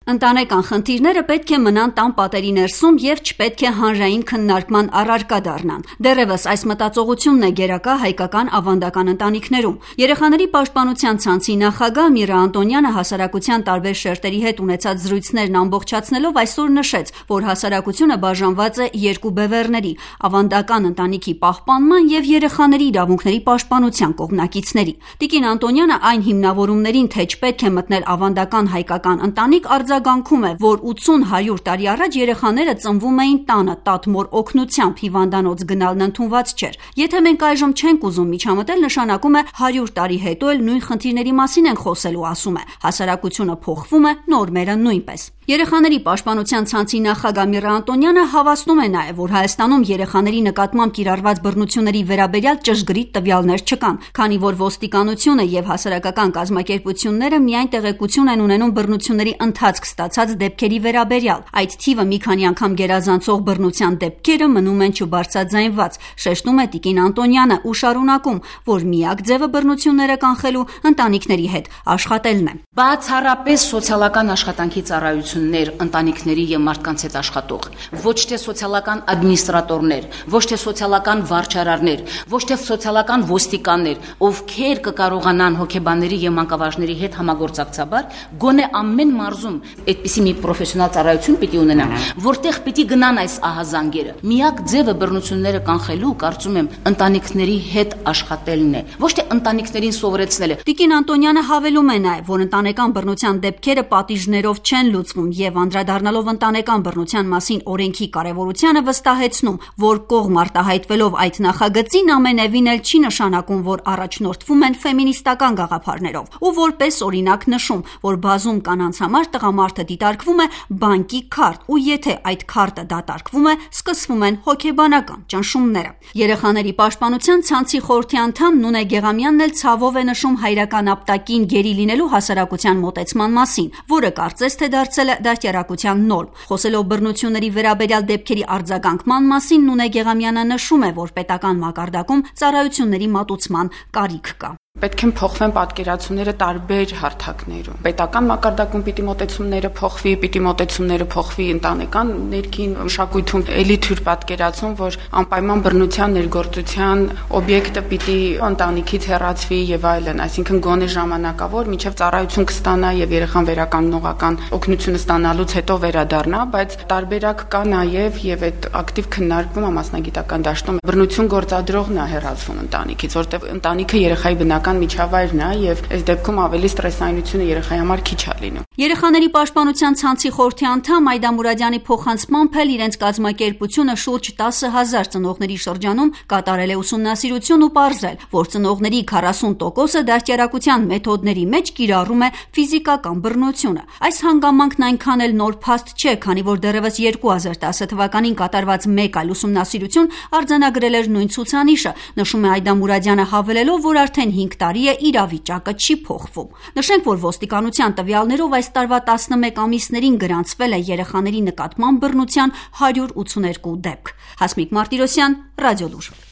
Ընտանեկան խնդիրները պետք է մնան տան պատերի ներսում և չպետք է հանրային քննարկման առարկա դառնան։ Դեռևս այս մտածողությունն է գերակա հայկական ավանդական ընտանիքներում։ Երեխաների պաշտպանության ցանցի նախագահ Միրա Անտոնյանը հասարակության տարբեր շերտերի հետ ունեցած զրույցներն ամբողջացնելով այսօր նշեց, որ հասարակությունը բաժանված է երկու բևեռների՝ ավանդական ընտանիքի պահպանման և երեխաների իրավունքների պաշտպանության կողմնակիցների։ Տիկին Անտոնյանը այն հիմնավորումներին, թե չպետք է մտնել ավանդական հայկական ընտանիք, արձագանքում է, որ 80-100 տարի առաջ երեխաները ծնվում էին տանը, տատմոր օգնությամբ, հիվանդանոց գնալն ընդունված չէր։ Եթե մենք այժմ չենք ուզում միջամտել, նշանակում է 100 տարի հետո էլ նույն խնդիրների մասին ենք խոսելու, ասում է։ Հասարակությունը փոխվում է, նորմերը նույնպես։ Երեխաների պաշտպանության ցանցի նախագահ Միրա Անտոնյանը հավաստում է նաև, որ Հայաստանում երեխաների նկատմամբ կիրառված բռնությունների վերաբերյալ ճշգրիտ տվյալներ չկան, քանի որ ոստիկանությունը և հասարակական կազմակերպությունները միայն տեղեկություն են ունենում բռնությունների ընթացք ստացած դեպքերի վերաբերյալ։ Այդ թիվը մի քանի անգամ գերազանցող բռնության դեպքերը մնում են չբարձրաձայնված, շեշտում է տիկին Անտոնյանը ու շարունակում, որ միակ ձևը բռնությունները կանխելու ընտանիքների հետ աշխատելն է։ Բացառապես սոցիալական աշխատանքի ծառայություններ, ընտանիքների և մարդկանց հետ աշխատող, ոչ թե սոցիալական ադմինիստրատորներ, ոչ թե սոցիալական վարչարարներ, ոչ թե սոցիալական ոստիկաններ, ովքեր կկարողանան հոգեբանների և մանկավարժների հետ համագործակցաբար գոնե ամեն մարզում այդպիսի մի պրոֆեսիոնալ ծառայություն պիտի ունենան, որտեղ պիտի գնան այս ահազանգերը։ Միակ ձևը բռնությունները կանխելու, կարծում եմ, ընտանիքների հետ աշխատելն է, ոչ թե ընտանիքներին սովորեցնելը։ Տիկին Անտոնյանը հավելում է նաև, որ ընտանեկան բռնության դեպքերը պատիժներով չեն լուծվում և անդրադառնալով ընտանեկան բռնության մասին օրենքի կարևորությանը վստահեցնում, որ կողմ արտահայտվելով այդ նախագծին ամենևին էլ չի նշանակում, որ առաջնորդվում են ֆեմինիստական գաղափարներով, ու որպես օրինակ նշում, որ բազում կանանց համար տղամարդը դիտարկվում է բանկի քարտ, ու եթե այդ քարտը դատարկվում է, սկսվում են հոգեբանական ճնշումները։ Երեխաների պաշտպանության ցանցի խորհրդի անդամ Նունե Գեղամյանն էլ ցավով է նշում հայրական ապտակին գերի լինելու հասարակության մոտեցման մասին, որը կարծես թե դարձել է դաստիարակության նորմ։ Խոսելով բռնությունների վերաբերյալ դեպքերի արձագանքման մասին, Նունե Գեղամյանը նշում է, որ պետական մակարդակում ծառայությունների մատուցման կարիք կա։ Պետք է փոխվեն պատկերացումները տարբեր հարթակներում։ Պետական մակարդակում պիտի մոտեցումները փոխվի, ընտանեկան ներքին մշակույթում էլի թյուր պատկերացում, որ անպայման բռնության ներգործության օբյեկտը պիտի ընտանիքից հեռացվի եւ այլն, այսինքն գոնե ժամանակավոր, մինչեւ ծառայություն կստանա եւ երեխան վերականգնողական օգնությունը ստանալուց հետո վերադառնա, բայց տարբերակ կա նաեւ եւ այդ ակտիվ քննարկվում մասնագիտական դաշտում բռնություն գործադրողն է հեռացվում ընտանիքից, որտեղ ընտանիքը երեխայի բնական միջավայրն է եւ այս դեպքում ավելի ստրեսայնությունը երեխայի համար քիչ է լինում։ Երեխաների պաշտպանության ցանցի խորհրդի անդամ Այդա Մուրադյանի փոխանցմամբ էլ իրենց կազմակերպությունը շուրջ 10,000 ծնողների շրջանում կատարել է ուսումնասիրություն ու պարզել, որ ծնողների 40%-ը դաստիարակության մեթոդների մեջ կիրառում է ֆիզիկական բռնությունը։ Այս հանգամանքն այնքան էլ նոր փաստ չէ, քանի որ դեռևս 2010 թվականին կատարված մեկ այլ ուսումնասիրություն արձանագրել էր նույն ցուցանիշը, նշում է Այդա Մուրադյանը, հավելելով, որ արդեն 5 տարի է իրավիճակը չի փոխվում։ Նշենք, որ ոստիկանության տվյալներով այս տարվա 11 ամիսներին գրանցվել է երեխաների նկատմամբ բռնության 182 դեպք։ Հասմիկ Մարտիրոսյան, Ռադիոլուր։